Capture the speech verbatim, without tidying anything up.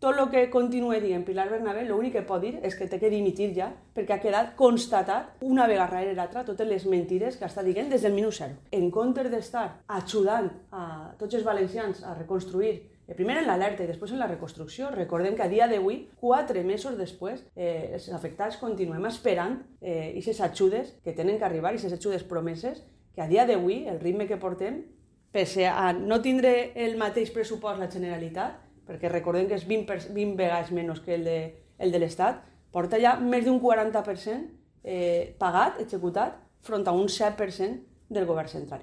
tot el que continua dient Pilar Bernabé, l'únic que pot dir és que té que dimitir ja, perquè ha quedat constatat una vegada darrere l'altra totes les mentides que està dient des del minut zero. En comptes d'estar ajudant a tots els valencians a reconstruir, primer en l'alerta i després en la reconstrucció, recordem que a dia d'avui, quatre mesos després, eh, els afectats continuem esperant eh, aquestes ajudes que tenen que arribar, aquestes ajudes promeses, que a dia d'avui, el ritme que portem, pese a no tindre el mateix pressupost la Generalitat, perquè recordem que és vint, per, vint vegades menys que el de, el de l'Estat, porta ja més d'un quaranta per cent eh, pagat, executat, front a un set per cent del govern central.